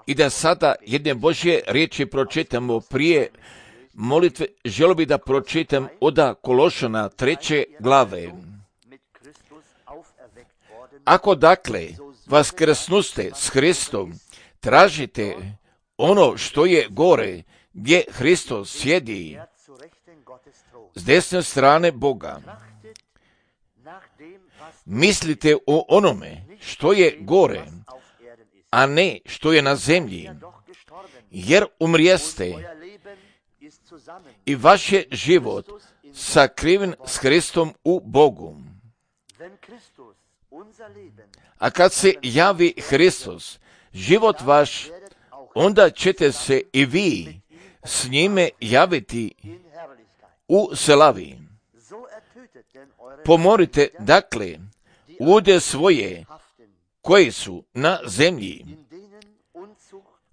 I da sada jedne Božje riječi pročitamo prije molitve, želio bih da pročitam od Kološana 3. glave. Ako dakle vaskrsnuste s Hristom, tražite ono što je gore, gdje Hristos sjedi s desne strane Boga. Mislite o onome što je gore, a ne što je na zemlji, jer umrijeste i vaš je život sakriven s Hristom u Bogu. A kad se javi Hristos, život vaš, onda ćete se i vi s njime javiti u slavi. Pomorite, dakle, lude svoje koji su na zemlji,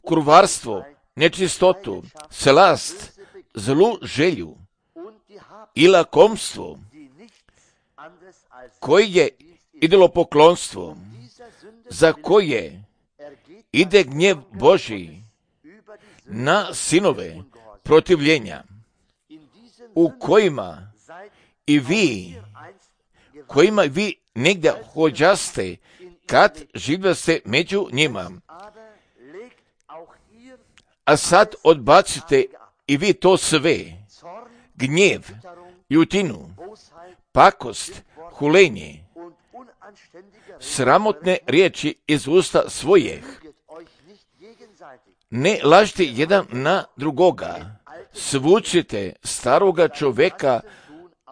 kurvarstvo, nečistotu, slast, zlu želju i lakomstvo, koji je idolopoklonstvo, za koje ide gnjev Božji na sinove protivljenja, u kojima i vi negdje hođaste kad živjaste među njima. A sad odbacite i vi to sve, gnjev, ljutinu, pakost, hulenje, sramotne riječi iz usta svojih. Ne lažite jedan na drugoga, svučite staroga čovjeka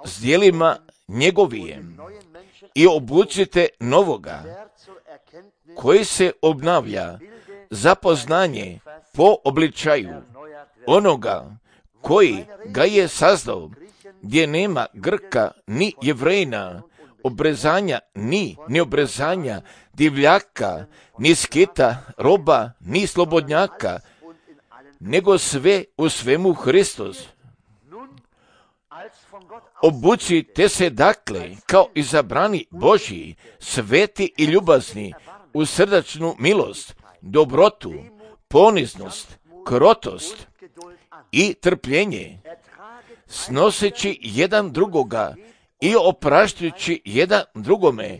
s djelima njegovijem i obucite novoga, koji se obnavlja za poznanje po obličaju onoga koji ga je sazdao, gdje nema Grka ni Jevrejina, obrezanja ni neobrezanja, divljaka, ni skita, roba, ni slobodnjaka, nego sve u svemu Hristos. Obucite se dakle kao izabrani Božji, sveti i ljubazni, u srdačnu milost, dobrotu, poniznost, krotost i trpljenje, snoseći jedan drugoga i opraštajući jedan drugome,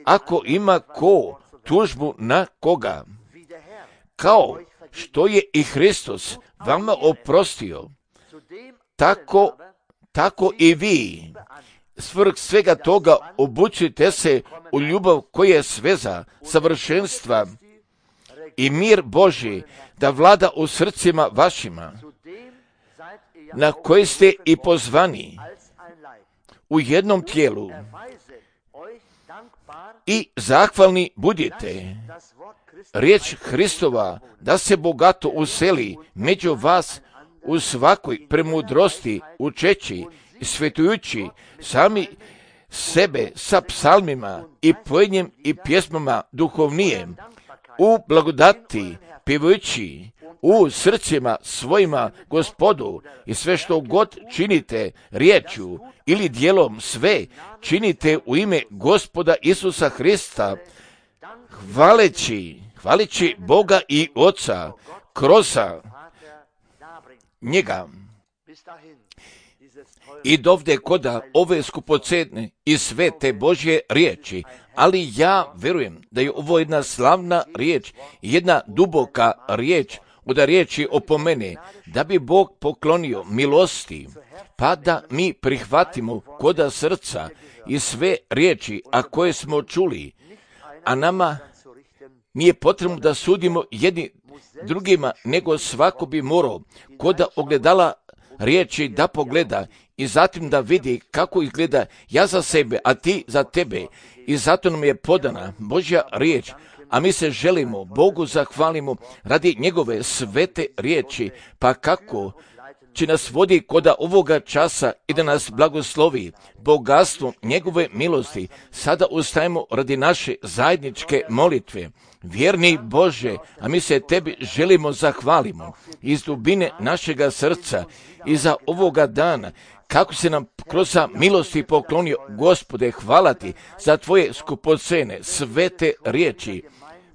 ako ima ko tužbu na koga. Kao što je i Hristos vama oprostio, tako i vi, svrh svega toga, obučite se u ljubav koja je sveza savršenstva i mir Božji da vlada u srcima vašima, na koji ste i pozvani u jednom tijelu, i zahvalni budite. Riječ Hristova da se bogato useli među vas u svakoj premudrosti, učeći i svetujući sami sebe sa psalmima i pojenjem i pjesmama duhovnijem, u blagodati pjevajući u srcima svojima Gospodu, i sve što god činite riječju ili djelom, sve činite u ime Gospoda Isusa Hrista, hvaleći Boga i Oca kroz njega. I dovde koda ove skupocene i sve te Božje riječi, ali ja vjerujem da je ovo jedna slavna riječ, jedna duboka riječ, od riječi opomene, da bi Bog poklonio milosti, pa da mi prihvatimo koda srca i sve riječi, a koje smo čuli, a nama nije potrebno da sudimo jedni drugima, nego svako bi morao koda ogledala riječi da pogleda i zatim da vidi kako izgleda ja za sebe, a ti za tebe. I zato nam je podana Božja riječ, a mi se želimo Bogu zahvalimo radi njegove svete riječi, pa kako će nas vodi koda ovoga časa i da nas blagoslovi bogatstvom njegove milosti. Sada ustajemo radi naše zajedničke molitve. Vjerni Bože, a mi se tebi želimo zahvalimo iz dubine našega srca i za ovoga dana, kako se nam kroz milosti poklonio. Gospode, hvala ti za tvoje skupocene svete riječi,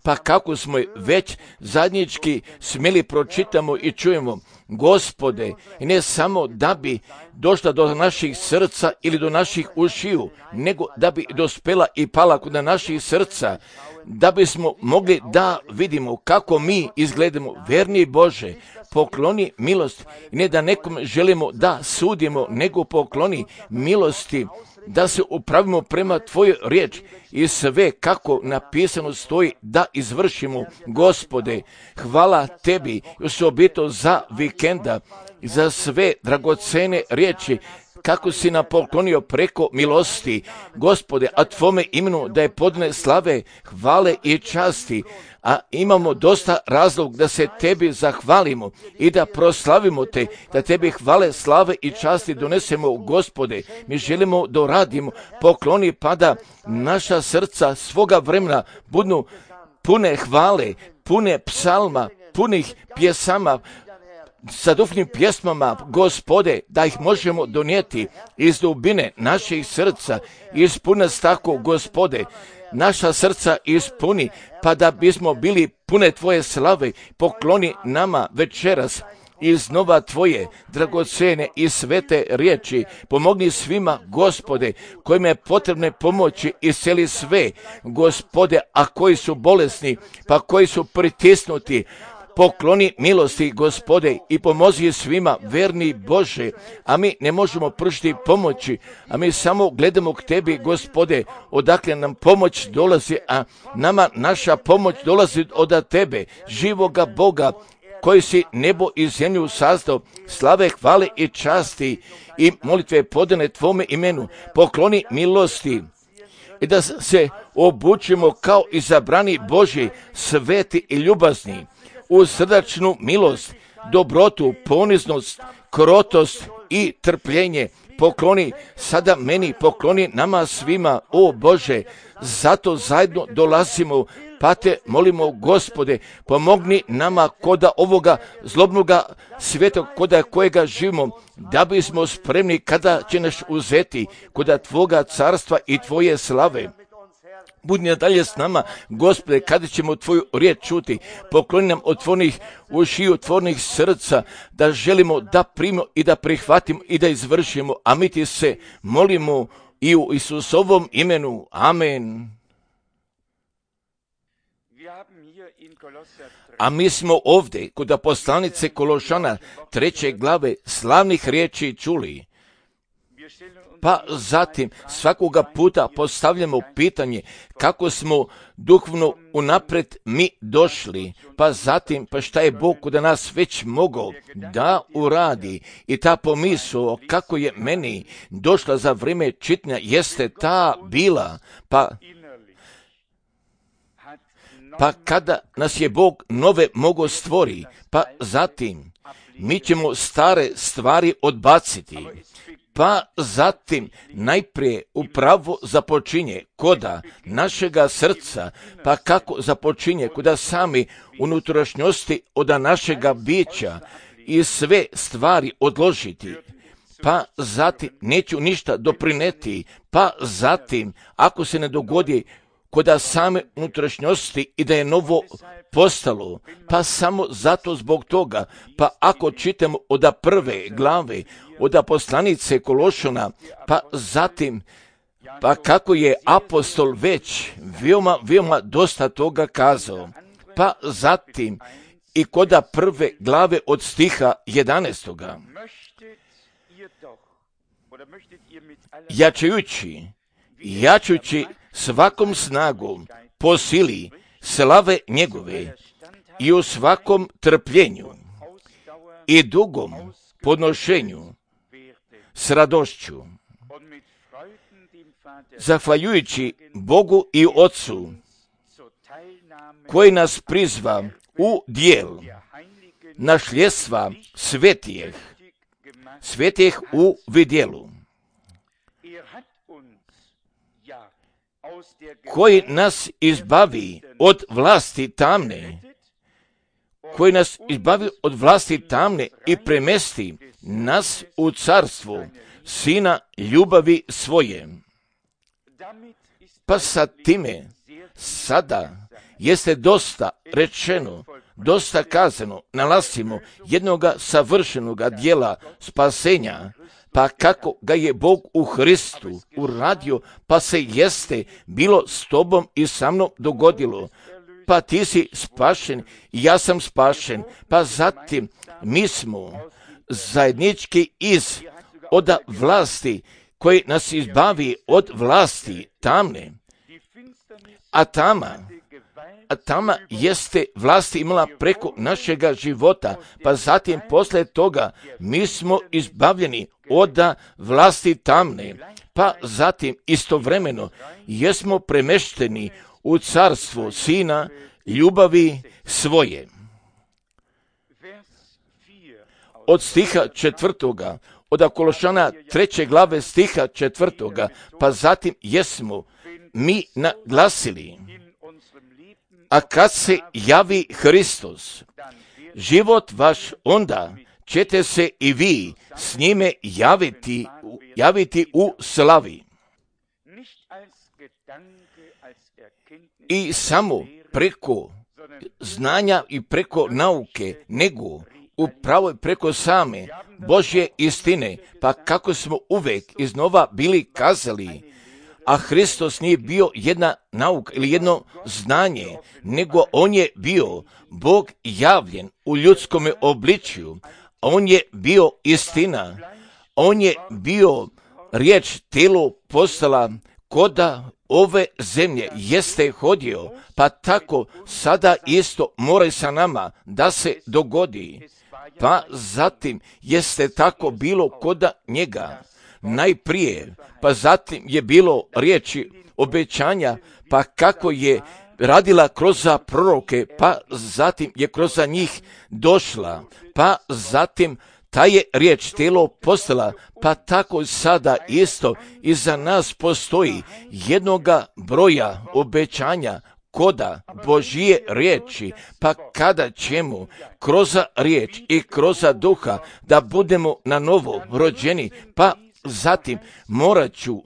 pa kako smo je već zajednički smjeli pročitamo i čujemo, Gospode, i ne samo da bi došla do naših srca ili do naših ušiju, nego da bi dospela i pala kod naših srca, da bismo mogli da vidimo kako mi izgledamo. Verni Bože, pokloni milost, i ne da nekom želimo da sudimo, nego pokloni milosti, da se upravimo prema Tvojoj riječi i sve kako napisano stoji da izvršimo. Gospode, hvala Tebi osobito za vikenda, za sve dragocene riječi, kako si nam poklonio preko milosti, Gospode, a Tvome imenu da je podne slave, hvale i časti, a imamo dosta razlog da se Tebi zahvalimo i da proslavimo Te, da Tebi hvale, slave i časti donesemo, Gospode. Mi želimo da radimo, pokloni pa da naša srca svoga vremena budu pune hvale, pune psalma, punih pjesama, sa duhovnim pjesmama, Gospode, da ih možemo donijeti iz dubine naših srca, ispuni tako, Gospode, naša srca ispuni, pa da bismo bili pune Tvoje slave, pokloni nama večeras iznova Tvoje dragocene i svete riječi. Pomogni svima, Gospode, kojima je potrebne pomoći, isceli sve, Gospode, a koji su bolesni, pa koji su pritisnuti, pokloni milosti, Gospode, i pomozi svima, verni Bože, a mi ne možemo pružiti pomoći, a mi samo gledamo k Tebi, Gospode, odakle nam pomoć dolazi, a nama naša pomoć dolazi od Tebe, živoga Boga, koji si nebo i zemlju sazdao, slave, hvale i časti i molitve podane Tvome imenu, pokloni milosti i da se obučimo kao izabrani Božji, sveti i ljubazni, u srdačnu milost, dobrotu, poniznost, krotost i trpljenje. Pokloni sada meni, pokloni nama svima, o Bože, zato zajedno dolazimo, pa Te molimo, Gospode, pomogni nama koda ovoga zlobnoga svijeta, koda kojega živimo, da bismo spremni kada će nas uzeti, koda Tvoga carstva i Tvoje slave. Budi nadalje s nama, Gospode, kada ćemo Tvoju riječ čuti, pokloni nam otvornih ušiju, otvornih srca, da želimo da primimo i da prihvatimo i da izvršimo, a mi Ti se molimo i u Isusovom imenu. Amen. A mi smo ovdje kod poslanice Kološana 3. glave slavnih riječi čuli. Pa zatim svakoga puta postavljamo pitanje kako smo duhovno unaprijed mi došli, pa zatim pa šta je Bog kod nas već mogao da uradi. I ta pomisao kako je meni došla za vrijeme čitanja jeste ta bila, pa kada nas je Bog nove mogao stvori, pa zatim mi ćemo stare stvari odbaciti. Pa zatim najprije upravo započinje koda našega srca, pa kako započinje koda sami unutrašnjosti od našega bića i sve stvari odložiti. Pa zatim neću ništa doprineti, pa zatim ako se ne dogodi koda same unutrašnjosti i da je novo postalo, pa samo zato zbog toga, pa ako čitamo od prve glave, od poslanice Kološana, pa zatim, pa kako je apostol već veoma dosta toga kazao, pa zatim i koda prve glave od stiha 11. Jačujući svakom snagom po sili slave njegove i u svakom trpljenju i dugom podnošenju s radošću, zahvaljujući Bogu i Otcu koji nas prizva u dijel našljedstva svetijeh u vidjelu, koji nas izbavi od vlasti tamne, i premesti nas u carstvo Sina ljubavi svoje. Pa sa time sada jeste dosta rečeno, dosta kazano, nalazimo jednoga savršenoga dijela spasenja, pa kako ga je Bog u Hristu uradio, pa se jeste bilo s tobom i sa mnom dogodilo. Pa ti si spašen i ja sam spašen, pa zatim mi smo zajednički od vlasti koji nas izbavi od vlasti tamne, a tama jeste vlasti imala preko našega života, pa zatim posle toga mi smo izbavljeni od vlasti tamne, pa zatim istovremeno jesmo premešteni u carstvo Sina ljubavi svoje. Od stiha 4. od Kološana 3. glave stiha 4. pa zatim jesmo mi naglasili, a kad se javi Hristos, život vaš, onda ćete se i vi s njime javiti u slavi. I samo preko znanja i preko nauke, nego upravo preko same Božje istine, pa kako smo uvek iznova bili kazali, a Hristos nije bio jedna nauka ili jedno znanje, nego on je bio Bog javljen u ljudskome obličju, on je bio istina, on je bio riječ telo postala koda ove zemlje jeste hodio, pa tako sada isto mora sa nama da se dogodi. Pa zatim jeste tako bilo koda njega najprije, pa zatim je bilo riječi obećanja, pa kako je radila kroz proroke, pa zatim je kroz njih došla, pa zatim ta je riječ telo postala, pa tako sada isto i za nas postoji jednoga broja obećanja koda Božije riječi, pa kada ćemo kroz riječ i kroz duha da budemo na novo rođeni, pa zatim morat ću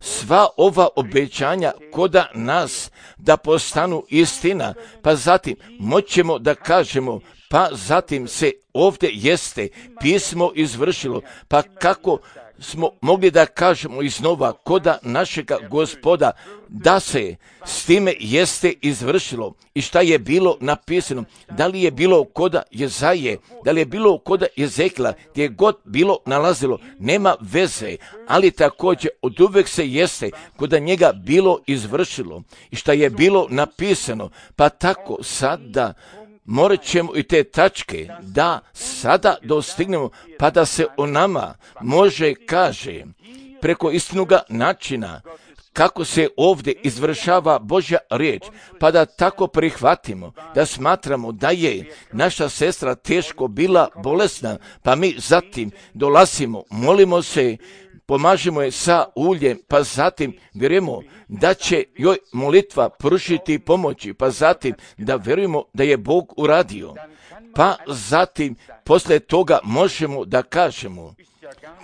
sva ova obećanja koda nas da postanu istina, pa zatim moćemo da kažemo, pa zatim se ovdje jeste pismo izvršilo, pa kako smo mogli da kažemo iznova koda našega Gospoda da se s time jeste izvršilo i šta je bilo napisano, da li je bilo koda Jezaje, da li je bilo koda Jezekila, gdje je god bilo nalazilo, nema veze, ali također od uvek se jeste koda njega bilo izvršilo i šta je bilo napisano, pa tako sada morat ćemo i te tačke da sada dostignemo, pa da se o nama može kaže preko istinoga načina kako se ovdje izvršava Božja riječ, pa da tako prihvatimo, da smatramo da je naša sestra teško bila bolesna, pa mi zatim dolazimo, molimo se, pomažemo je sa uljem, pa zatim vjerujemo da će joj molitva pružiti pomoći, pa zatim da vjerujemo da je Bog uradio, pa zatim posle toga možemo da kažemo,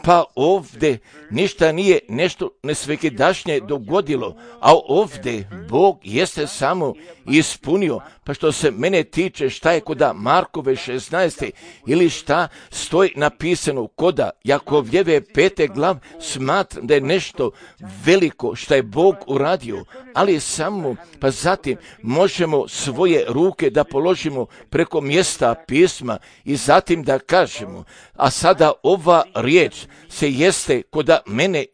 pa ovdje ništa nije nešto nesvekidašnje dogodilo, a ovdje Bog jeste samo ispunio, pa što se mene tiče šta je koda Markove 16. ili šta stoji napisano koda Jakovljeve 5. glav, smatram da je nešto veliko šta je Bog uradio, ali samo pa zatim možemo svoje ruke da položimo preko mjesta pisma i zatim da kažemo, a sada ova riječ se jeste koda mene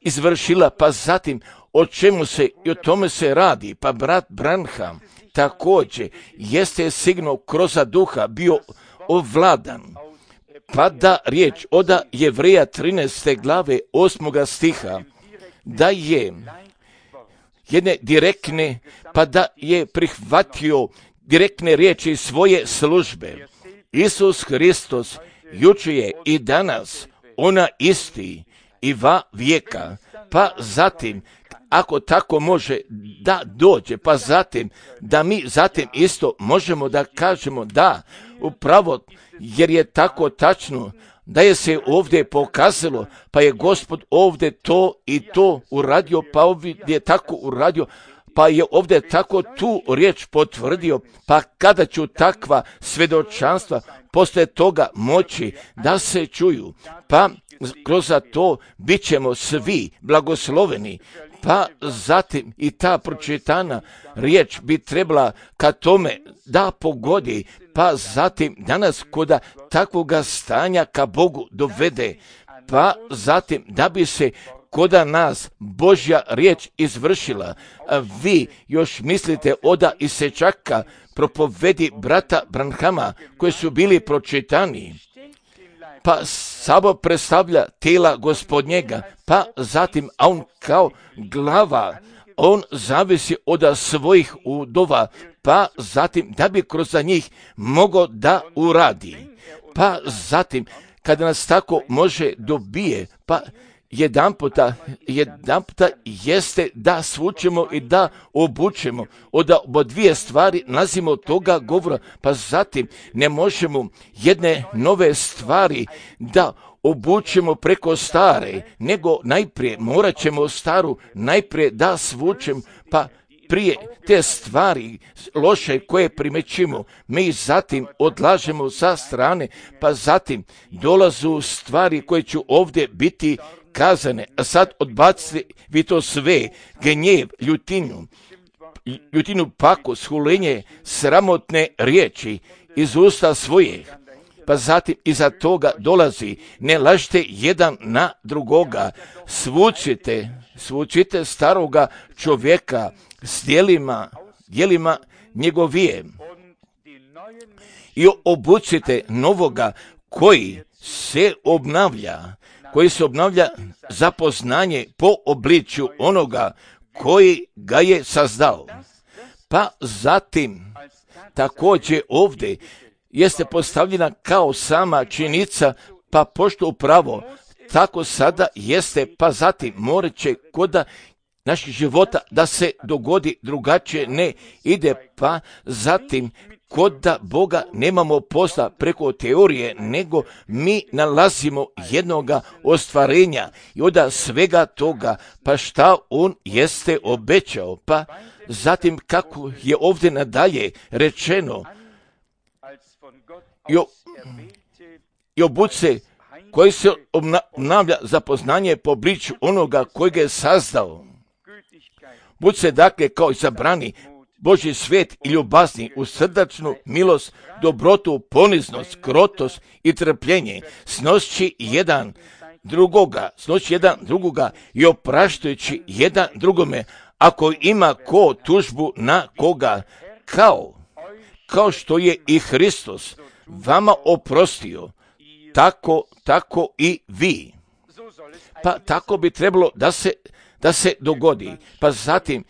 izvršila, pa zatim o čemu se i o tome se radi, pa brat Branham također jeste sigurno kroz duha bio ovladan, pa da riječ od Jevreja 13. glave 8. stiha, da je jedne direktne, pa da je prihvatio direktne riječi svoje službe. Isus Hristos juče je i danas ona isti i va vijeka, pa zatim ako tako može da dođe, pa zatim da mi zatim isto možemo da kažemo da upravo jer je tako tačno da je se ovdje pokazalo, pa je Gospod ovdje to i to uradio, pa ovdje je tako uradio, pa je ovdje tako tu riječ potvrdio, pa kada ću takva svjedočanstva poslije toga moći da se čuju, pa kroz to bit ćemo svi blagosloveni. Pa zatim i ta pročitana riječ bi trebala ka tome da pogodi, pa zatim danas koda takvoga stanja ka Bogu dovede, pa zatim da bi se koda nas Božja riječ izvršila. A vi još mislite oda Isečaka, propovedi brata Branhama koji su bili pročitani, pa Sabor predstavlja tijela Gospodnjega, pa zatim a on kao glava, on zavisi od svojih udova, pa zatim da bi kroz njih mogao da uradi. Pa zatim kada nas tako može dobije, pa jedan puta jeste da svučemo i da obučemo. Od dvije stvari nalazimo toga govora, pa zatim ne možemo jedne nove stvari da obučemo preko stare, nego najprije morat ćemo staru najprije da svučemo, pa prije te stvari loše koje primećimo, mi zatim odlažemo sa strane, pa zatim dolazu stvari koje će ovdje biti kazane. A sad odbacite vi to sve, gnjev, ljutinu, pakost, hulenje, sramotne riječi iz usta svojih. Pa zatim iza toga dolazi, ne lažite jedan na drugoga, svučite staroga čovjeka s djelima njegovije i obucite novoga koji se obnavlja za poznanje po obličju onoga koji ga je sazdao. Pa zatim također ovdje jeste postavljena kao sama činjenica, pa pošto upravo tako sada jeste, pa zatim morat će koda naših života da se dogodi drugačije ne ide, pa zatim kod Boga nemamo posla preko teorije, nego mi nalazimo jednoga ostvarenja i od svega toga, pa šta on jeste obećao, pa zatim kako je ovdje nadalje rečeno, i obuce koji se obnavlja za poznanje po obličju onoga koji ga je sazdao. Buce dakle kao izabrani Božji svijet i ljubazni u srdačnu milost, dobrotu, poniznost, krotost i trpljenje, snošći jedan drugoga i opraštajući jedan drugome, ako ima ko tužbu na koga, kao što je i Hristos vama oprostio, tako i vi. Pa tako bi trebalo da se dogodi. Pa zatim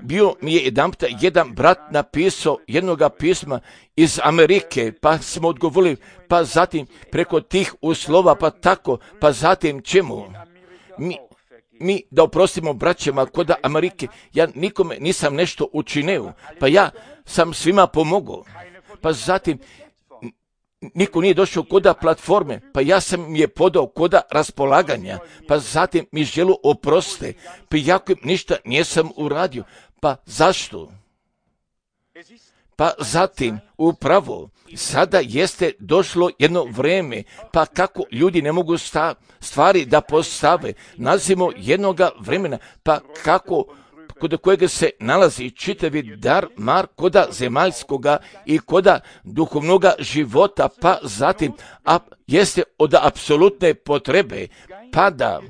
bio mi je jedan brat napisao jednoga pisma iz Amerike, pa smo odgovorili, pa zatim preko tih uslova, pa tako, pa zatim čemu? Mi da oprostimo braćama kod Amerike, ja nikome nisam nešto učinio, pa ja sam svima pomogao, pa zatim niko nije došao koda platforme, pa ja sam je podao koda raspolaganja, pa zatim mi želu oproste, pa jako ništa nisam uradio, pa zašto? Pa zatim upravo sada jeste došlo jedno vrijeme, pa kako ljudi ne mogu stvari da postave, nalazimo jednoga vremena, pa kako kod kojega se nalazi čitavi dar koda zemaljskoga i koda duhovnoga života, pa zatim jeste od apsolutne potrebe, pa da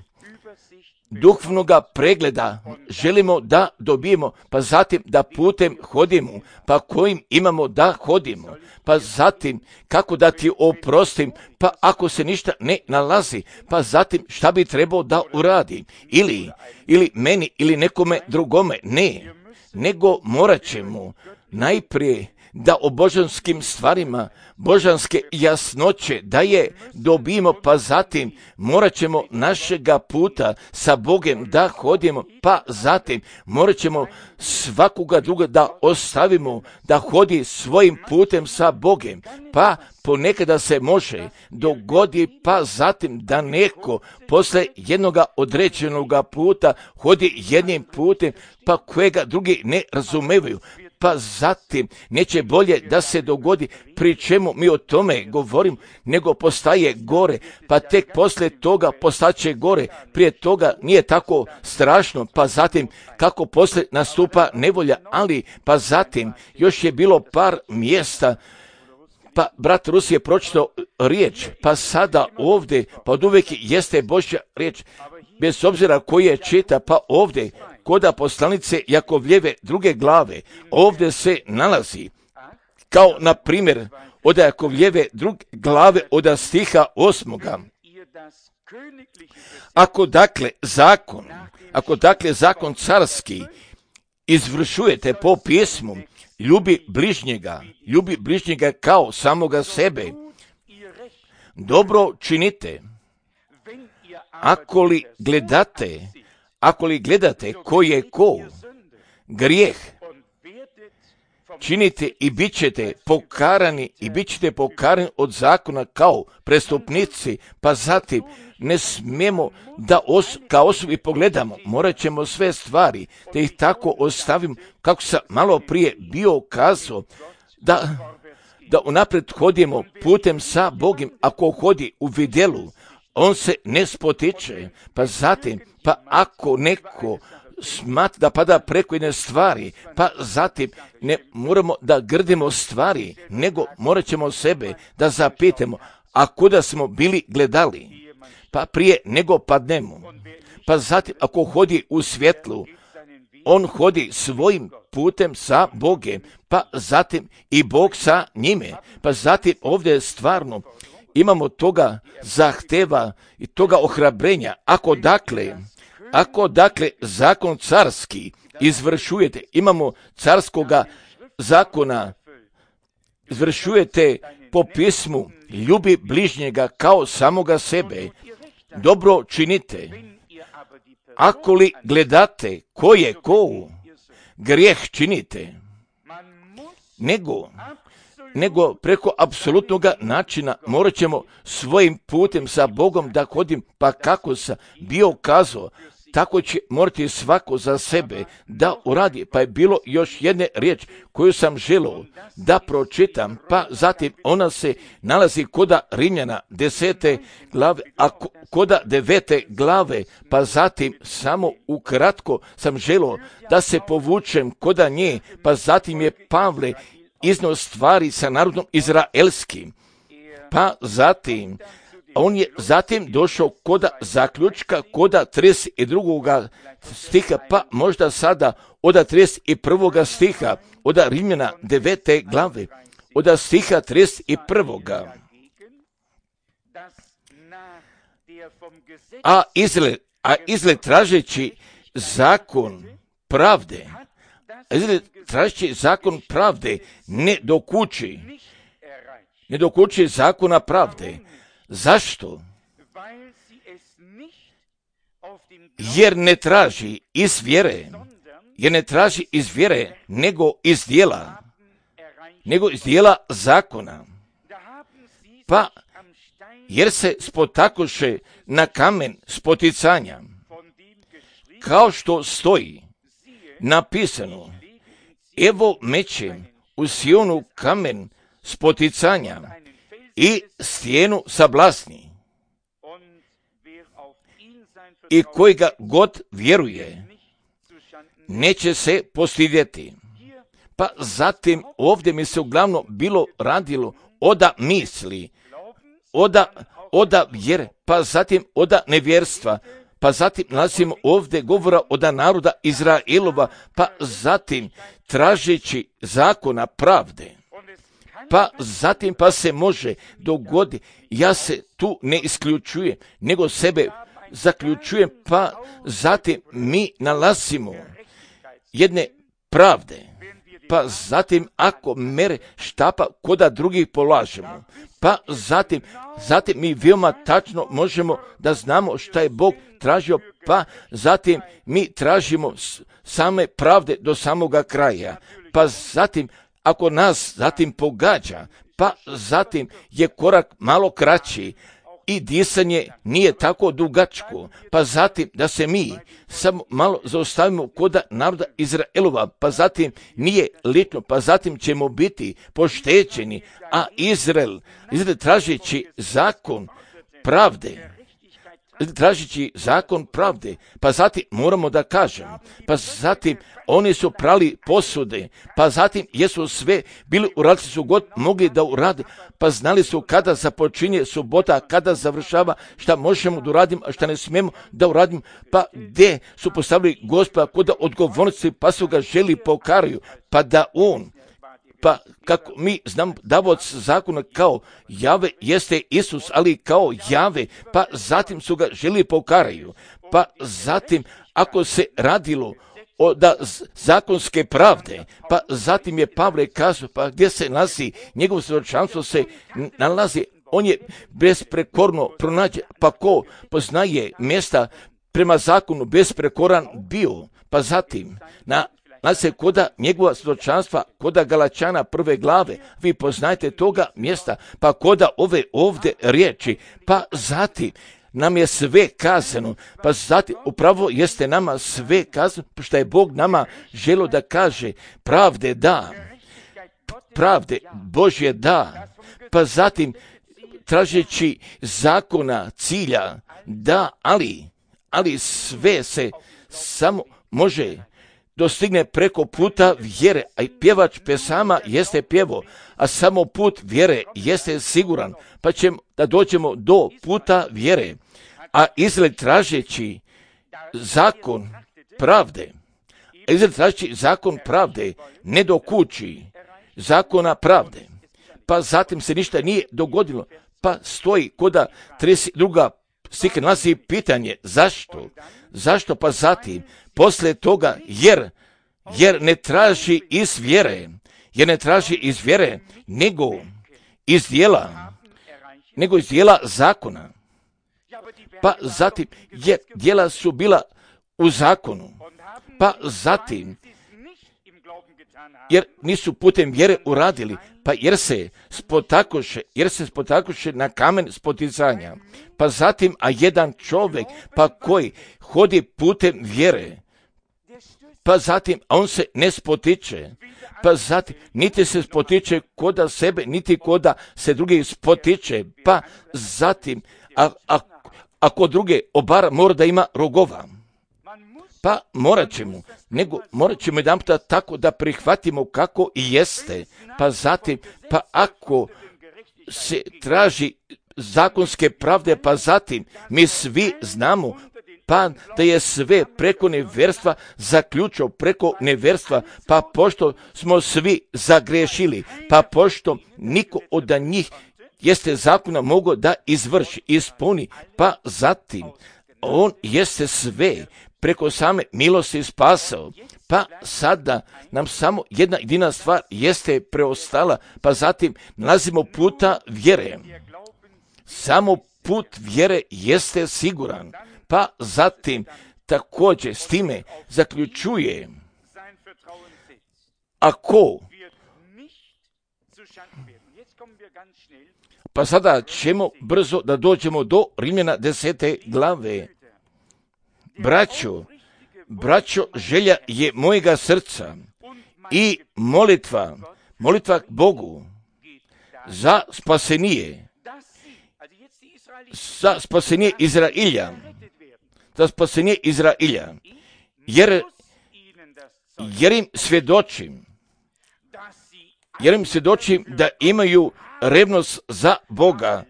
duhovnoga pregleda želimo da dobijemo, pa zatim da putem hodimo, pa kojim imamo da hodimo, pa zatim kako da ti oprostim, pa ako se ništa ne nalazi, pa zatim šta bi trebao da uradim, ili meni ili nekome drugome, ne, nego morat ćemo najprije da o božanskim stvarima, božanske jasnoće, da je dobijemo, pa zatim morat ćemo našega puta sa Bogom da hodimo, pa zatim morat ćemo svakoga druga da ostavimo, da hodi svojim putem sa Bogom, pa ponekada se može dogodi, pa zatim da neko posle jednoga određenoga puta hodi jednim putem, pa kojega drugi ne razumevaju, pa zatim neće bolje da se dogodi, pri čemu mi o tome govorim, nego postaje gore, pa tek posle toga postaće gore, prije toga nije tako strašno, pa zatim kako posle nastupa nevolja, ali pa zatim još je bilo par mjesta, pa brat Rus je pročitao riječ, pa sada ovdje, pa od uvijek jeste Božja riječ, bez obzira koji je čita, pa ovdje, kod poslanice Jakovljeve 2. glave, ovdje se nalazi, kao na primjer od Jakovljeve 2. glave od stiha 8. Ako dakle zakon carski izvršujete po pismu, ljubi bližnjega kao samoga sebe, dobro činite. Ako li gledate ko je ko, grijeh činite i bit ćete pokarani od zakona kao prestupnici, pa zatim ne smijemo da kao osobi pogledamo, morat ćemo sve stvari, da ih tako ostavimo, kako sam malo prije bio kazao, da unaprijed hodimo putem sa Bogom. Ako hodi u vidjelu, on se ne spotiče, pa zatim, pa ako neko smatra da pada preko jedne stvari, pa zatim ne moramo da grdimo stvari, nego morat ćemo sebe da zapitamo, a kuda smo bili gledali, pa prije nego padnemo. Pa zatim, ako hodi u svjetlu, on hodi svojim putem sa Bogom, pa zatim i Bog sa njime. Pa zatim ovdje stvarno imamo toga zahteva i toga ohrabrenja. Ako dakle zakon carski izvršujete, imamo carskoga zakona, izvršujete po pismu, ljubi bližnjega kao samoga sebe, dobro činite. Ako li gledate ko je ko, grijeh činite. Nego preko apsolutnog načina morat ćemo svojim putem sa Bogom da hodim, pa kako sam bio kazao, tako će morati svako za sebe da uradi. Pa je bilo još jedne riječ koju sam želio da pročitam, pa zatim ona se nalazi koda Rimljana 10. glave, a koda 9. glave, pa zatim samo ukratko sam želio da se povučem koda nje, pa zatim je Pavle iznio stvari sa narodom izraelskim, pa zatim on je zatim došao koda zaključka, koda 32. stiha, pa možda sada od 31. stiha, od Rimljana 9. glave, od stiha 31. A Izrael tražeći zakon pravde, ne dokuči zakona pravde. Zašto? Jer ne traži iz vjere, nego iz dijela zakona. Pa, jer se spotakoše na kamen spoticanja, kao što stoji napisano, evo mećem u Sionu kamen spoticanja i stijenu sablasni, i koji ga god vjeruje neće se postidjeti. Pa zatim ovdje mi se uglavnom bilo radilo oda misli, oda vjere, pa zatim oda nevjerstva, pa zatim nalazimo ovdje govora oda naroda Izraelova, pa zatim tražeći zakona pravde. Pa zatim pa se može dogoditi, ja se tu ne isključujem, nego sebe zaključujem, pa zatim mi nalazimo jedne pravde. pa zatim ako mere štapa koda drugih polažemo, pa zatim mi veoma tačno možemo da znamo šta je Bog tražio, pa zatim mi tražimo same pravde do samoga kraja, pa zatim ako nas zatim pogađa, pa zatim je korak malo kraći i disanje nije tako dugačko, pa zatim da se mi samo malo zaustavimo koda naroda Izraelova, pa zatim nije lično, pa zatim ćemo biti poštećeni, a Izrael tražeći zakon pravde, pa zatim moramo da kažemo, pa zatim oni su prali posude, pa zatim jesu sve bili uradili su god mogli da urade, pa znali su kada započinje subota, kada završava, šta možemo da uradimo, a šta ne smijemo da uradimo, pa gde su postavili Gospoda koda odgovornosti, pa su ga želi pokaraju, pa da on, pa kako mi znamo davaoc zakona kao Jave jeste Isus, ali kao Jave, pa zatim su ga želi pokaraju, pa zatim ako se radilo da zakonske pravde, pa zatim je Pavle kazao, pa gdje se nalazi, njegovo svjedočanstvo se nalazi, on je besprekorno pronađe, pa ko poznaje mjesta prema zakonu besprekoran bio, pa zatim nalazi se koda njegova svjedočanstva, koda Galačana 1. glave, vi poznajete toga mjesta, pa koda ove ovdje riječi, pa zatim nam je sve kazano, pa zatim upravo jeste nama sve kazano, što je Bog nama želio da kaže, pravde Božje da, pa zatim tražeći zakona cilja da, ali sve se samo može dostigne preko puta vjere, a i pjevač pesama jeste pjevo, a samo put vjere jeste siguran, pa ćemo da dođemo do puta vjere, a Izrael tražeći zakon pravde, ne do kući zakona pravde, pa zatim se ništa nije dogodilo, pa stoji koda 32. stih nalazi pitanje, zašto, pa zatim poslije toga, jer ne traži iz vjere, nego iz dijela zakona. Pa zatim, jer dijela su bila u zakonu, pa zatim, jer nisu putem vjere uradili, pa jer se spotakoše na kamen spoticanja, pa zatim, a jedan čovjek, pa koji hodi putem vjere, pa zatim, a on se ne spotiče, pa zatim, niti se spotiče koda sebe, niti koda se drugi spotiče, pa zatim, ako druge obara mora da ima rogova, pa morat ćemo jedan puta tako da prihvatimo kako i jeste, pa zatim, pa ako se traži zakonske pravde, pa zatim, mi svi znamo, pa da je sve preko neverstva zaključio preko neverstva, pa pošto smo svi zagrešili, pa pošto niko od njih jeste zakona mogao da ispuni, pa zatim on jeste sve preko same milosti spasao, pa sada nam samo jedna jedina stvar jeste preostala, pa zatim nalazimo puta vjere. Samo put vjere jeste siguran, pa zatim također s time zaključuje, ako, pa sada ćemo brzo da dođemo do Rimljana 10. glave. Braćo, želja je mojega srca i molitva Bogu za spasenije Izrailja, jer im svjedočim da imaju revnost za Boga,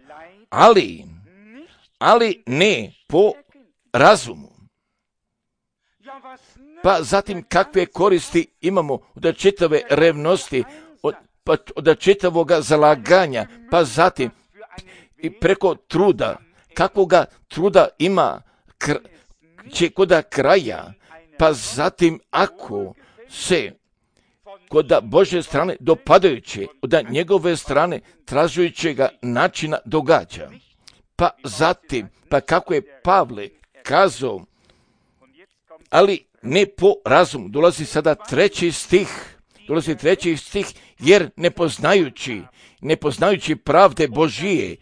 ali ne po razumu. Pa zatim kakve koristi imamo od čitave revnosti, od čitavoga zalaganja, pa zatim i preko truda, kakvoga truda ima će koda kraja, pa zatim ako se kod Božje strane dopadajuće, od njegove strane tražujućega načina događa. Pa zatim, pa kako je Pavle kazao, ali ne po razumu. Dolazi sada treći stih, jer ne poznajući pravde Božije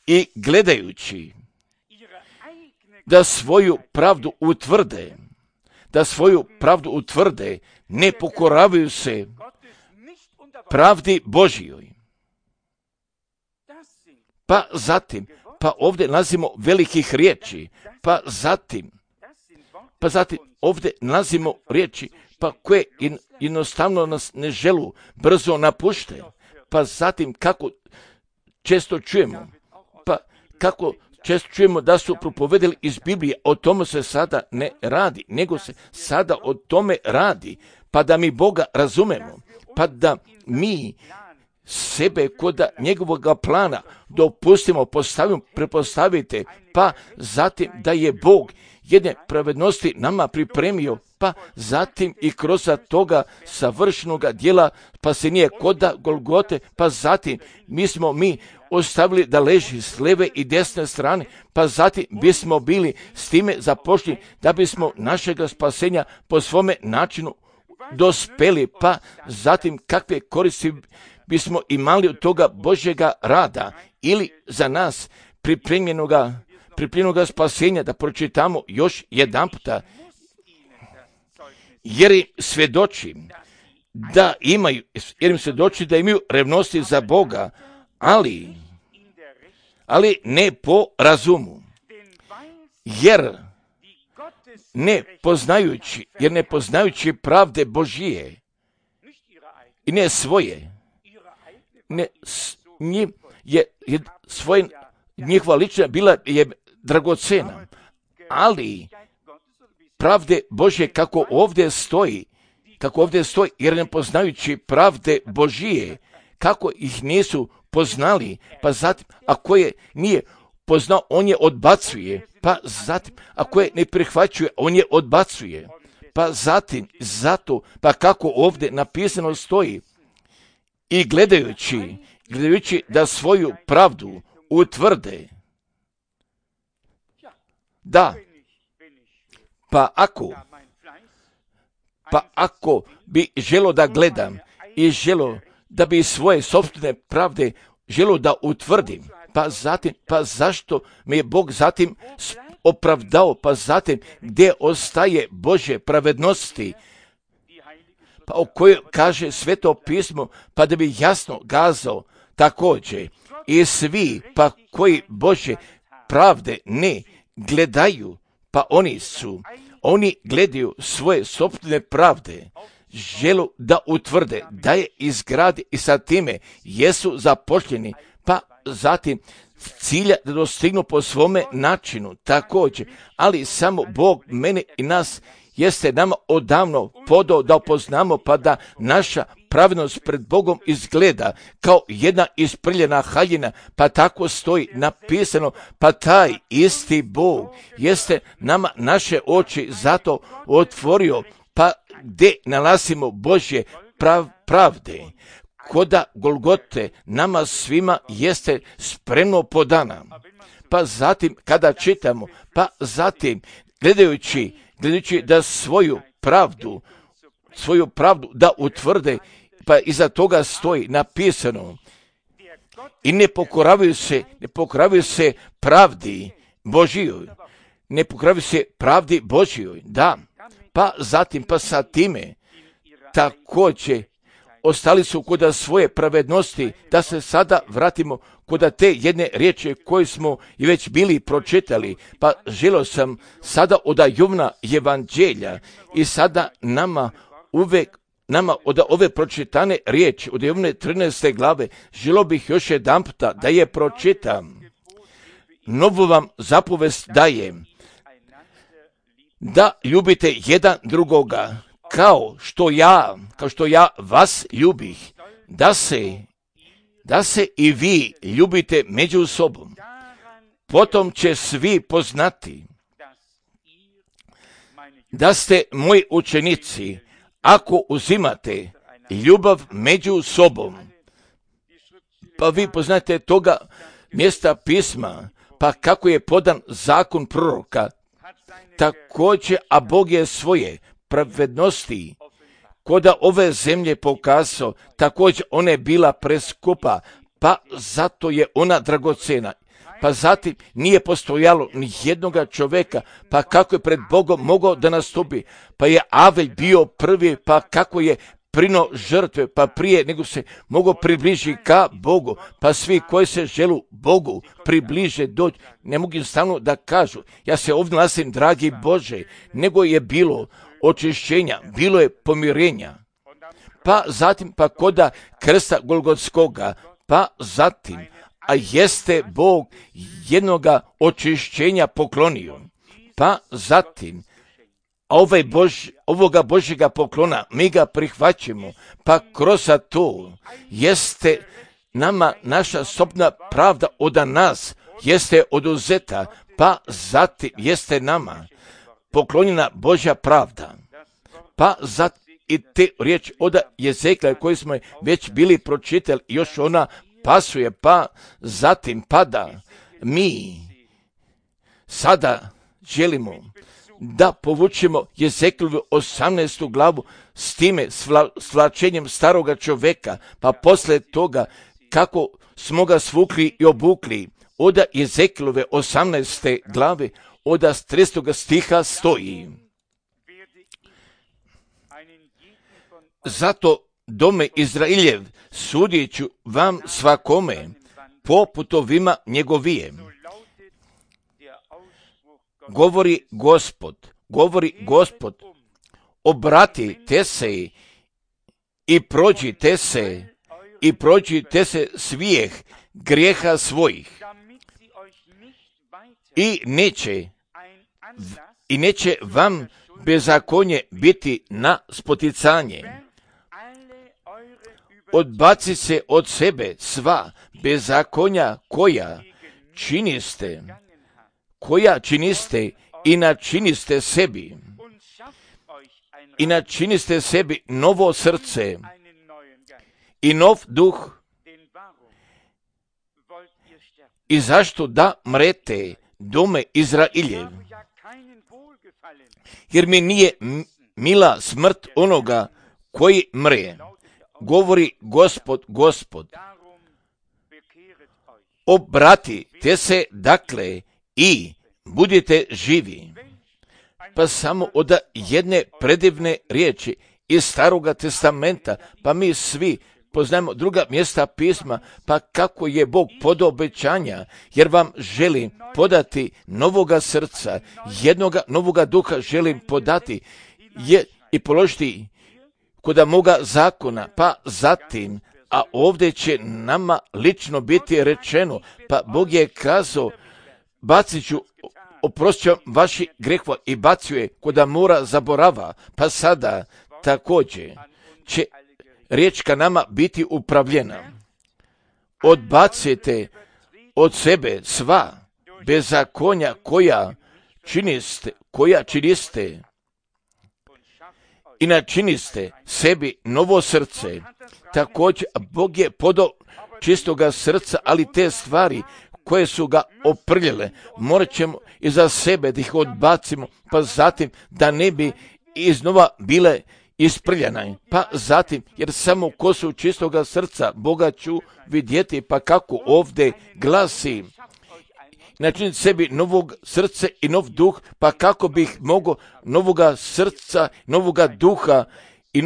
i gledajući da svoju pravdu utvrde, ne pokoravaju se pravdi Božijoj. Pa zatim, pa ovdje nalazimo velikih riječi, pa zatim ovdje nalazimo riječi, pa koje jednostavno nas ne želu, brzo napušte. Pa zatim kako često čujemo da su propovedali iz Biblije, o tome se sada ne radi, nego se sada o tome radi, pa da mi Boga razumemo, pa da mi sebe kod njegovog plana dopustimo, prepostavite, pa zatim da je Bog jedne pravednosti nama pripremio, pa zatim i kroz toga savršenog djela, pa se nije koda Golgote, pa zatim mi ostavili da leži s lijeve i desne strane, pa zatim bismo bili s time započeli da bismo našega spasenja po svome načinu dospeli, pa zatim kakve koristi bismo imali od toga Božjega rada ili za nas pripremljenoga spasenja, da pročitamo još jedan puta, jer im svjedoči da imaju revnosti za Boga, ali ne po razumu, jer ne poznajući pravde Božije i ne svoje, njihova lična bila je dragocena, ali pravde Božje kako ovdje stoji, jer ne poznajući pravde Božije, kako ih nisu poznali, pa zatim, ako je nije poznao, on je odbacuje, pa zatim, ako je ne prihvaćuje, on je odbacuje, pa zatim, zato, pa kako ovdje napisano stoji, i gledajući da svoju pravdu utvrde. Da, pa ako bi želo da gledam i želo da bi svoje sopstvene pravde želo da utvrdim, pa zašto me je Bog zatim opravdao, pa zatim gdje ostaje Božje pravednosti, pa o kojoj kaže Sveto pismo, pa da bi jasno kazao također i svi pa koji Božje pravde ne gledaju, pa oni gledaju svoje sopstvene pravde, želu da utvrde, da je izgradi i sa time jesu zapošljeni, pa zatim cilja da dostignu po svome načinu također, ali samo Bog mene i nas jeste nama odavno podao da upoznamo, pa da naša pravednost pred Bogom izgleda kao jedna isprljena haljina, pa tako stoji napisano, pa taj isti Bog jeste nama naše oči zato otvorio, pa gdje nalazimo Božje pravde, koda Golgote nama svima jeste spremno podana. Pa zatim kada čitamo, pa zatim gledajući da svoju pravdu da utvrde, pa iza toga stoji napisano i ne pokoravaju se pravdi Božijoj, da, pa zatim, pa sa time također ostali su kod svoje pravednosti, da se sada vratimo kod te jedne riječi koje smo i već bili pročitali, pa želio sam sada od Jovna evanđelja i sada nama od ove pročitane riječi, od Jovne 13. glave, želio bih još jedan puta da je pročitam. Novu vam zapovest dajem, da ljubite jedan drugoga, kao što ja vas ljubih, da se i vi ljubite među sobom. Potom će svi poznati da ste moji učenici, ako uzimate ljubav među sobom. Pa vi poznate toga mjesta pisma, pa kako je podan zakon proroka, također, a Bog je svoje pravednosti koda ove zemlje pokazao, također ona je bila preskupa, pa zato je ona dragocena. Pa zatim nije postojalo ni jednoga čovjeka, pa kako je pred Bogom mogao da nastupi, pa je Avelj bio prvi, pa kako je prino žrtve, pa prije nego se mogao približiti ka Bogu, pa svi koji se želu Bogu približe doći, ne mogu stalno da kažu, ja se ovdje nalazim, dragi Bože, nego je bilo očišćenja, bilo je pomirenja, pa zatim pa koda krsta Golgotskoga, pa zatim, a jeste Bog jednoga očišćenja poklonio, pa zatim, a ovoga Božjega poklona mi ga prihvaćamo, pa kroz to jeste nama naša sobna pravda od nas, jeste oduzeta, pa zatim jeste nama poklonjena Božja pravda. Pa zatim i te riječ od Jezekla koji smo već bili pročitali, još ona pasuje, pa zatim pada. Mi sada želimo da povučemo Jezeklovu 18. glavu s time svlačenjem staroga čovjeka, pa poslije toga kako smo ga svukli i obukli. Od Jezekilove 18. glave, od 30. stiha stoji: zato dome Izraeljev sudit ću vam svakome po putovima njegovije. Govori Gospod, obratite se i prođite se svijeh grijeha svojih i neće vam bezakonje biti na spoticanje. Odbaci se od sebe sva bezakonja koja činiste i načiniste sebi novo srce i nov duh. I zašto da mrete, dome Izraeljev? Jer mi nije mila smrt onoga koji mre. Govori Gospod. Obratite se dakle i budite živi. Pa samo od jedne predivne riječi iz Staroga testamenta, pa mi svi poznajemo druga mjesta pisma, pa kako je Bog podao obećanja, jer vam želim podati novoga srca, jednoga novoga duha želim podati i položiti kod moga zakona, pa zatim, a ovdje će nama lično biti rečeno, pa Bog je kazao, bacit ću, oprostit ću vaši grehova i bacio je kod mora zaborava, pa sada također će riječ ka nama biti upravljena. Odbacite od sebe sva bezakonja koja činiste i načiniste sebi novo srce. Također Bog je podao čistoga srca, ali te stvari koje su ga oprljele, morat ćemo iza sebe da ih odbacimo, pa zatim da ne bi iznova bile isprljana. Pa zatim, jer samo ko su čistoga srca Boga ću vidjeti, pa kako ovdje glasi, načiniti sebi novog srca i nov duh, pa kako bih mogao novoga srca, novoga duha i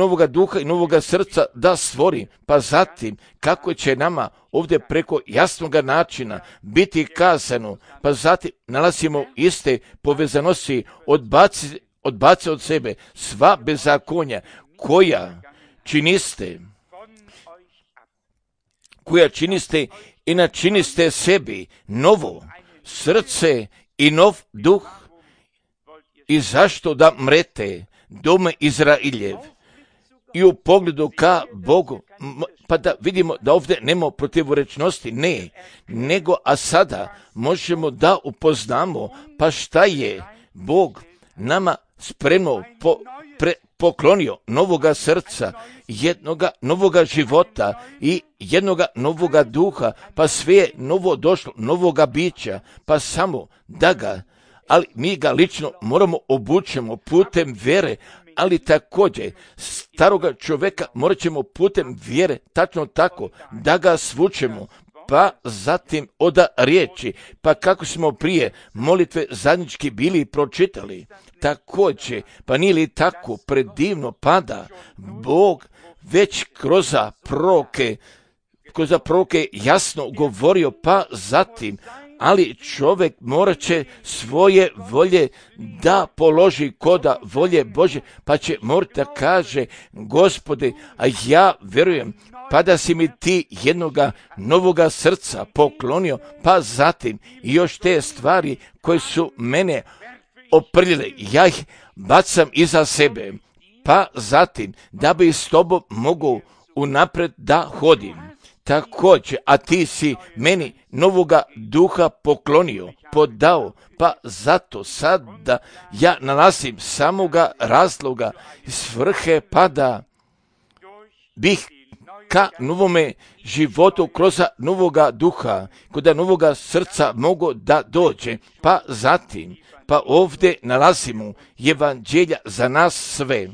novoga srca da stvori, pa zatim kako će nama ovdje preko jasnoga načina biti kazano, pa zatim nalazimo iste povezanosti, odbaci od sebe sva bezakonja koja činiste i načiniste sebi novo srce i nov duh. I zašto da mrete, dome Izraeljev? I u pogledu ka Bogu, pa da vidimo da ovdje nema protivorečnosti, ne, nego a sada možemo da upoznamo, pa šta je Bog nama spremno poklonio novoga srca, jednoga novoga života i jednoga novoga duha, pa sve je novo došlo, novoga bića, pa samo da ga, ali mi ga lično moramo obučemo putem vjere, ali također staroga čovjeka morat ćemo putem vjere, tačno tako, da ga svučemo, pa zatim oda riječi, pa kako smo prije molitve zajednički bili pročitali, također, pa nije li tako predivno pada Bog već kroz proroke jasno govorio, pa zatim, ali čovjek morat će svoje volje da položi koda volje Bože, pa će morati da kaže, Gospode, a ja vjerujem, pa da si mi ti jednoga novoga srca poklonio, pa zatim i još te stvari koje su mene oprljile, ja ih bacam iza sebe, pa zatim da bi s tobom mogu unapred da hodim. Također, a ti si meni novoga duha poklonio, podao, pa zato sada ja nalazim samoga razloga i svrhe, pa da bih ka novome životu kroz novoga duha, kod novoga srca mogu da dođe, pa zatim, pa ovdje nalazimo evanđelja za nas sve,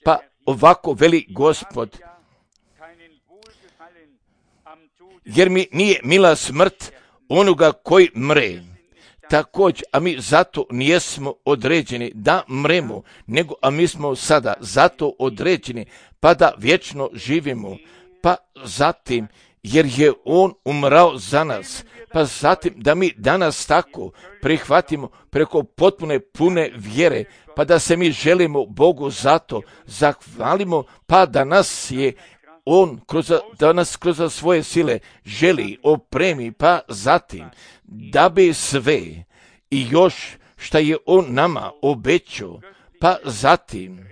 pa ovako veli Gospod, jer mi nije mila smrt onoga koji mre. Također, a mi zato nijesmo određeni da mremo, nego a mi smo sada zato određeni pa da vječno živimo, pa zatim, jer je on umrao za nas, pa zatim da mi danas tako prihvatimo preko potpune pune vjere, pa da se mi želimo Bogu zato zahvalimo, pa da nas je on da nas kroz svoje sile želi opremi, pa zatim da bi sve i još šta je on nama obećao, pa zatim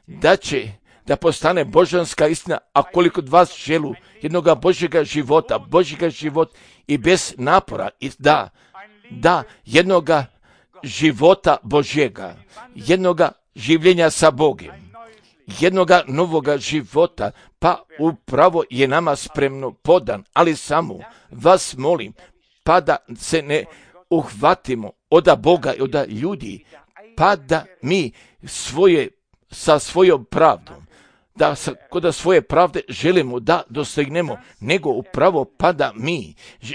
da će da postane božanska istina, a koliko od vas želu jednoga Božjega života i bez napora, i da jednoga života Božjega, jednoga življenja sa Bogom, jednoga novoga života, pa upravo je nama spremno podan, ali samo vas molim, pa da se ne uhvatimo od Boga i od ljudi, pa da mi sa svojom pravdom, da kod svoje pravde želimo da dostignemo, nego upravo pa da mi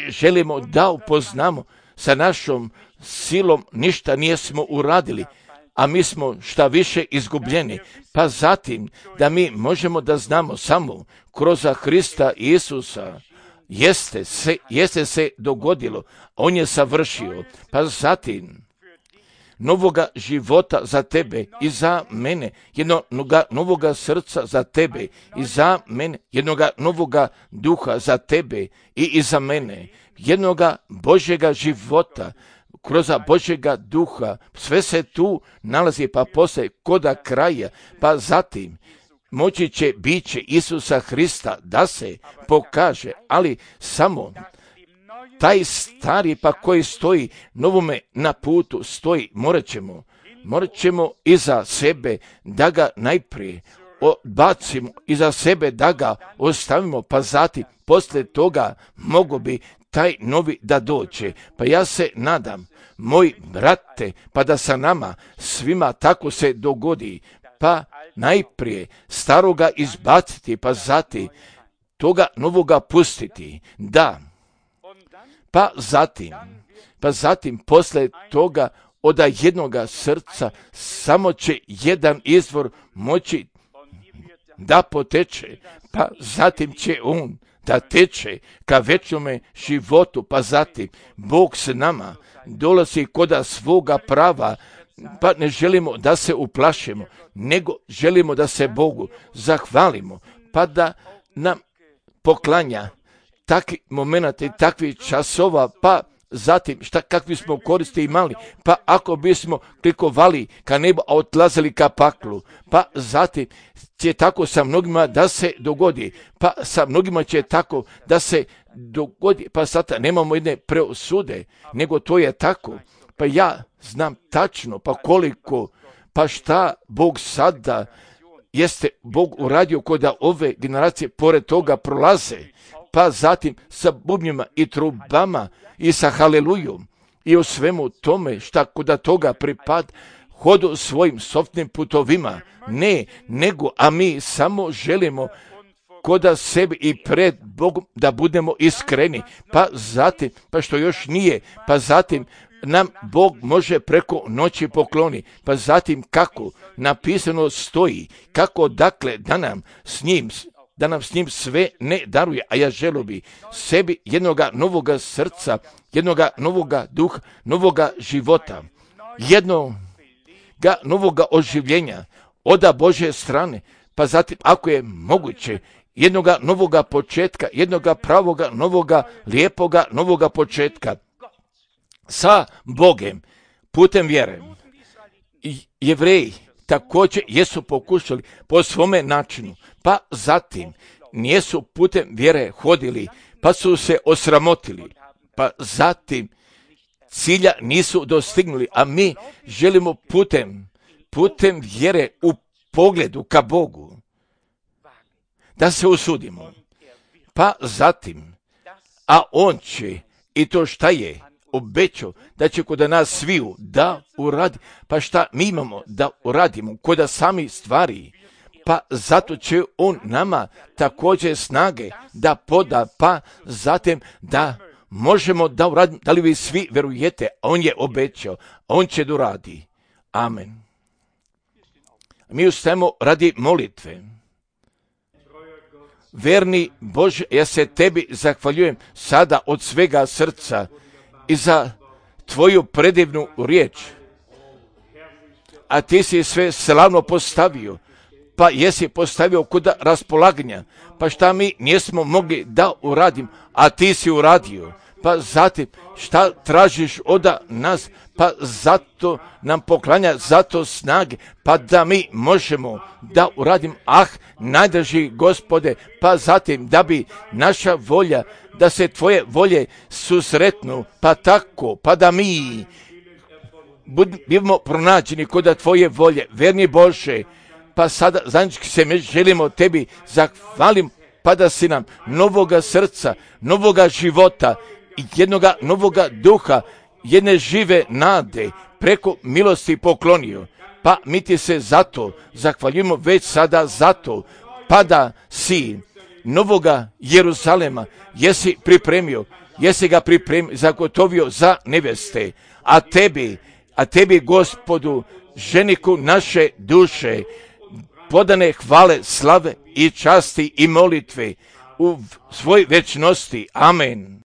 želimo da upoznamo sa našom silom ništa nijesmo uradili, a mi smo šta više izgubljeni, pa zatim da mi možemo da znamo samo kroz Hrista Isusa, jeste se dogodilo, on je savršio, pa zatim novoga života za tebe i za mene, jednoga novoga srca za tebe i za mene, jednoga novoga duha za tebe i za mene, jednoga Božjega života, kroz Božjega duha, sve se tu nalazi, pa poslije koda kraja, pa zatim moći će biće Isusa Hrista da se pokaže, ali samo taj stari pa koji stoji novome na putu stoji, morat ćemo iza sebe da ga najprije odbacimo, iza sebe da ga ostavimo, pa zatim poslije toga mogo bi taj novi da dođe. Pa ja se nadam, moj brate, pa da sa nama svima tako se dogodi, pa najprije staroga izbaciti, pa zatim toga novoga pustiti, da, pa zatim poslije toga od jednoga srca samo će jedan izvor moći da poteče, pa zatim će on da teče ka večnome životu, pa zatim Bog s nama dolazi koda svoga prava, pa ne želimo da se uplašimo, nego želimo da se Bogu zahvalimo, pa da nam poklanja takvi momenata i takvi časova, pa zatim kakvi smo koristi imali, pa ako bismo klikovali ka nebu, a odlazili ka paklu, pa zatim će tako sa mnogima da se dogodi, pa sa mnogima će tako da se dogodi, pa sada nemamo jedne preosude, nego to je tako, pa ja znam tačno, pa koliko, pa šta Bog sada jeste Bog uradio kod da ove generacije pored toga prolaze, pa zatim sa bubnjima i trubama i sa halelujom i o svemu tome šta kuda toga pripad, hodu svojim softnim putovima, ne, nego, a mi samo želimo koda sebi i pred Bogom da budemo iskreni, pa zatim, pa što još nije, pa zatim nam Bog može preko noći pokloni, pa zatim kako napisano stoji, kako dakle da nam s njim sve ne daruje, a ja želio bi sebi jednoga novoga srca, jednoga novoga duha, novoga života, jednoga novoga oživljenja oda Božje strane, pa zatim ako je moguće jednoga novoga početka, jednoga pravoga, novoga, lijepoga, novoga početka sa Bogem putem vjere. Jevreji također jesu pokušali po svome načinu, pa zatim nijesu putem vjere hodili, pa su se osramotili, pa zatim cilja nisu dostignuli, a mi želimo putem vjere u pogledu ka Bogu da se usudimo, pa zatim, a on će i to šta je obećao da će kod nas sviju da uradi, pa šta mi imamo da uradimo kod sami stvari, pa zato će on nama također snage da poda, pa zatim da možemo da uradimo, da li vi svi verujete, a on je obećao, a on će da uradi. Amen. Mi ustajemo radi molitve. Verni Bože, ja se tebi zahvaljujem sada od svega srca i za tvoju predivnu riječ. A ti si sve slavno postavio, pa jesi postavio kuda raspolaganja, pa šta mi nismo mogli da uradim, a ti si uradio. Pa zatim šta tražiš od nas, pa zato nam poklanja zato snage, pa da mi možemo da uradim, najdraži Gospode, pa zatim da bi naša volja, da se tvoje volje susretnu, pa tako, pa da mi budemo pronađeni kod tvoje volje, verni Bože, pa sada zajednički se mi želimo tebi zahvalim, pa da si nam novoga srca, novoga života, jednoga novoga duha, jedne žive nade preko milosti poklonio, pa mi ti se zato zahvaljujemo već sada zato, pa da si novoga Jeruzalema jesi ga pripremio, zagotovio za neveste, a tebi Gospodu, ženiku naše duše, podane hvale, slave i časti i molitve u svoj večnosti. Amen.